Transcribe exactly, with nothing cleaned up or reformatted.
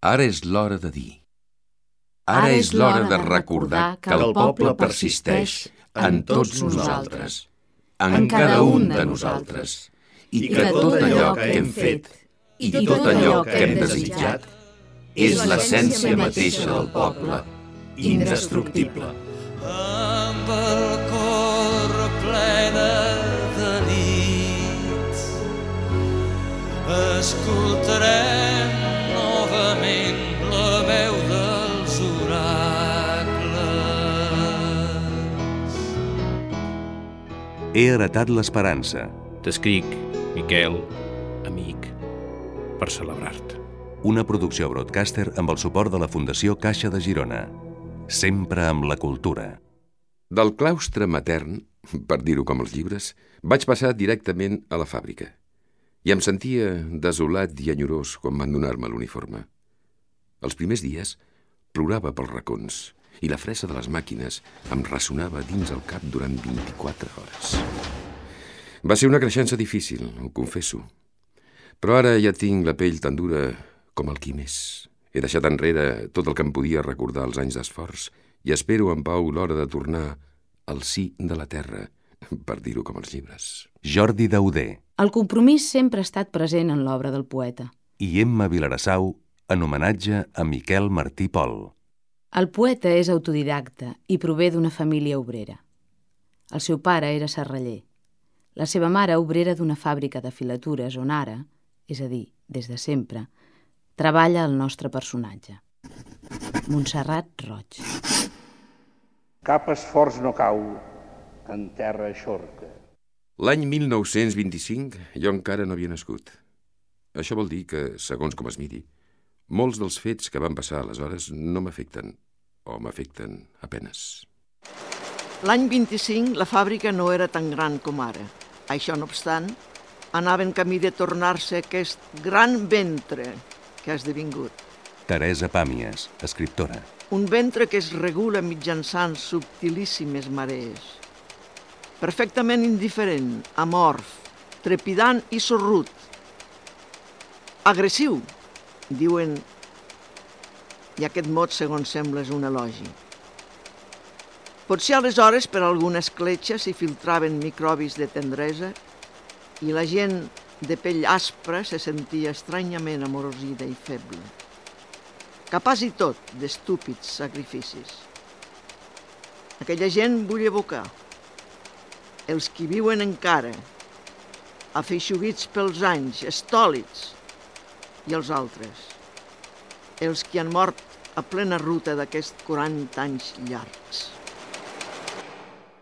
Ara és l'hora de dir. Ara és l'hora de recordar que el poble persisteix en tots nosaltres, en cada un de nosaltres, i que tot allò que hem fet i tot allò que hem desitjat és l'essència mateixa del poble, indestructible. Amb el cor ple de delits escoltarem novament la veu dels oracles. He heretat l'esperança. T'escric, Miquel, amic, per celebrar-te. Una producció broadcaster amb el suport de la Fundació Caixa de Girona. Sempre amb la cultura. Del claustre matern, per dir-ho com els llibres, vaig passar directament a la fàbrica. I em sentia desolat i enyorós quan van donar-me l'uniforme. Els primers dies plorava pels racons i la fressa de les màquines em ressonava dins el cap durant vint-i-quatre hores. Va ser una creixença difícil, ho confesso. Però ara ja tinc la pell tan dura com el quimés. He deixat enrere tot el que em podia recordar els anys d'esforç i espero en pau l'hora de tornar al si de la terra, per dir-ho com els llibres. Jordi Dauder. El compromís sempre ha estat present en l'obra del poeta. I Emma Vilarassau, en homenatge a Miquel Martí Pol. El poeta és autodidacta i prové d'una família obrera. El seu pare era serraller. La seva mare, obrera d'una fàbrica de filatures on ara, és a dir, des de sempre, treballa el nostre personatge. Montserrat Roig. Cap esforç no cau en terra eixorca. L'any mil nou-cents vint-i-cinc jo encara no havia nascut. Això vol dir que, segons com es miri, molts dels fets que van passar aleshores no m'afecten, o m'afecten apenes. L'any vint-i-cinc la fàbrica no era tan gran com ara. Això no obstant, anava en camí de tornar-se aquest gran ventre que ha esdevingut. Teresa Pàmies, escriptora. Un ventre que es regula mitjançant subtilíssimes marees. Perfectament indiferent, amorf, trepidant i sorrut. Agressiu, diuen, i aquest mot, segons sembla, és un elogi. Potser aleshores per alguna escletxa s'hi filtraven microbis de tendresa i la gent de pell aspra se sentia estranyament amorosida i feble. Capaç i tot d'estúpids sacrificis. Aquella gent vull evocar. Els qui viuen encara, afeixuguits pels anys, estòlids, i els altres. Els qui han mort a plena ruta d'aquests quaranta anys llargs.